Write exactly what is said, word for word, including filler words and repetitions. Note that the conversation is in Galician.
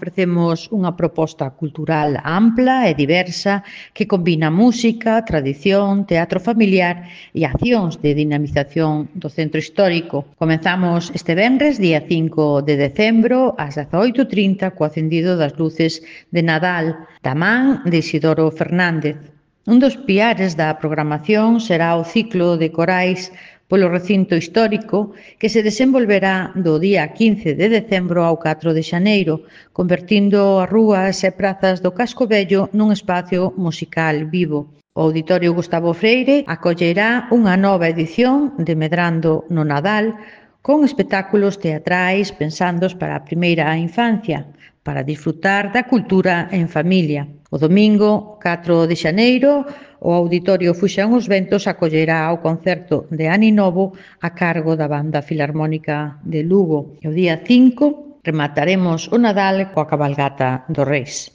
Ofrecemos unha proposta cultural ampla e diversa que combina música, tradición, teatro familiar e accións de dinamización do centro histórico. Comezamos este venres, día cinco de decembro, ás dezaoito e trinta, co acendido das luces de Nadal, da man de Isidoro Fernández. Un dos piares da programación será o ciclo de corais polo recinto histórico que se desenvolverá do día quince de decembro ao catro de xaneiro, convertindo as rúas e prazas do Casco Vello nun espacio musical vivo. O Auditorio Gustavo Freire acollerá unha nova edición de Medrando no Nadal con espectáculos teatrais pensandos para a primeira infancia, para disfrutar da cultura en familia. O domingo catro de xaneiro, o Auditorio Fuxan os Ventos acollerá o concerto de Aninovo a cargo da Banda Filarmónica de Lugo. E o día cinco remataremos o Nadal coa cabalgata dos Reis.